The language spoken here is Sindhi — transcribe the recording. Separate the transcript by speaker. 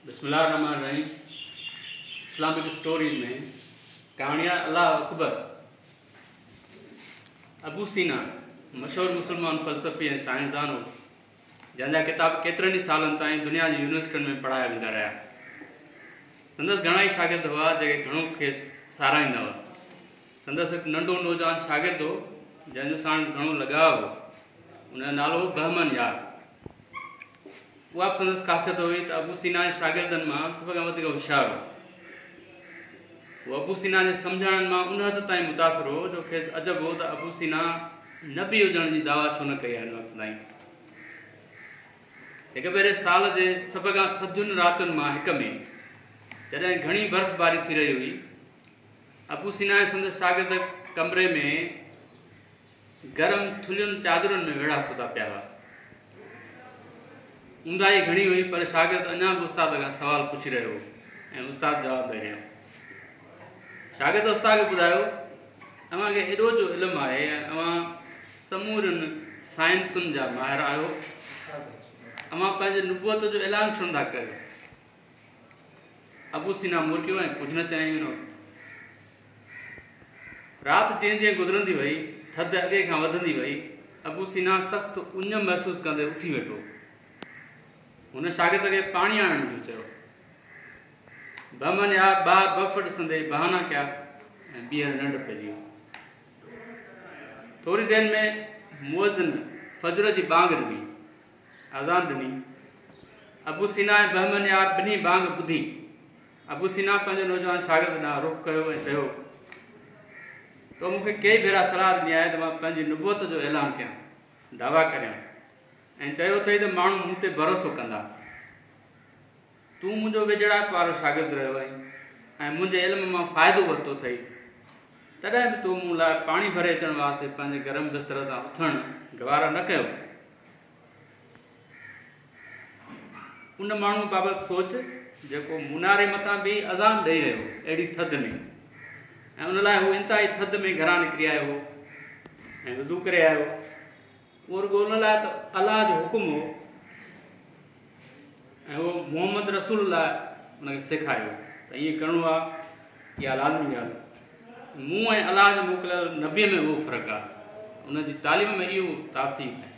Speaker 1: بسم الله الرحمٰن الرحيم اسلامڪ اسٽوريز ۾ ڪهاڻي آهي الله اڪبر. ابو سينا مشهور مسلمان فلسفي ۽ سائنسدان هو، جنهن جا ڪتاب ڪيترن ئي سالن تائين دنيا جي يونيورسٽين ۾ پڙهايا ويندا رهيا. سندس گهڻائي شاگرد هئا، جيڪي گهڻو کيس ساراهيندا هئا. سندس هڪ ننڍو نوجوان شاگرد هو، جنهن جو ساڻس گهڻو لڳاء هو. ان جو نالو هو بهمن يار. اها به سندس خاصيت هئي ته ابو سينا جي شاگردن مان سڀ کان وڌيڪ هوشيار هو. هو ابو سينا جي سمجهاڻين مان ان حد تائين متاثر هو جو کيس عجب هو ته ابو سينا نبي هجڻ جي دعويٰ ڇو نه ڪئي آهي هن وقت تائين. هڪ ڀيري سال جي سڀ کان ٿڌين راتين مان هڪ ۾ جڏهن گهڻي برفباري ٿي رهي هئي، ابو سينا ۽ سندس شاگرد ڪمري ۾ گرم ٿلهين چادرن ۾ ويڙها ستا پيا هئا. اونداهي گهڻي هئي پر شاگرد اڃا به استاد کان سوال پڇي رهيو هو ۽ استاد جواب ڏئي رهيو هو. شاگرد استاد کي ٻڌايو، اوهان کي ايڏو جو علم آهي ۽ اوهان سمورين سائنسن جا ماهر آهيو، اوهان پنهنجي نبوت جو اعلان ڇو نٿا ڪريو؟ ابو سينا مرڪيو ۽ ڪجهه نه چيائين ان وقت. رات جيئن جيئن گذرندي وئي، ٿڌ اڳي کان وڌندي وئي. ابو سينا سخت اڃ محسوس ڪندي اٿي ويٺو. هن شاگرد کي پاڻي آڻڻ جو چيو. بهمن يار ٻاهر برف ڏسندي بهانا ڪيا ۽ ٻيهر ننڊ پئجي ويو. ٿوري دير ۾ مؤذن فجر جي ٻانگ ڏني. اذان ڏني. ابو سينا ۽ بهمن يار ٻنهي بانگ ٻڌي. ابو سينا پنهنجي نوجوان شاگرد ڏانهن رخ ڪيو ۽ چيو، تو مون کي ڪيئي ڀيرا صلاح ڏني آهي ته مان پنهنجي نبوت جو اعلان ڪيان، دعويٰ ڪريان ۽ چيو اٿئي ته ماڻهو مون تي ڀروسو ڪندا. تون منهنجو ويجهڙائپ وارو شاگرد رهيو آهين ۽ منهنجي علم مان فائدو ورتو اٿئي، تڏهن به تو مون لاء پاڻي ڀري اچڻ واسطي پنهنجي گرم بستر تان اٿڻ گوارا نه ڪيو. ان ماڻهوء بابت سوچ جيڪو مناري مٿان بيهي اذان ڏئي رهيو هو اهڙي ٿڌ ۾ ۽ ان لاء هو انتهائي ٿڌ ۾ گهران نڪري آيو هو ۽ وضو ڪري آيو اهو رڳو ان لاء ته الله جو حڪم هو ۽ اهو محمد رسول الله ان کي سيکاريو ته ائين ڪرڻو آهي اها لازمي ڳالهه مون ۽ الله جي موڪليل نبيء ۾ اهو فرق آهي ان جي تعليم ۾ اهو تاثير آهي.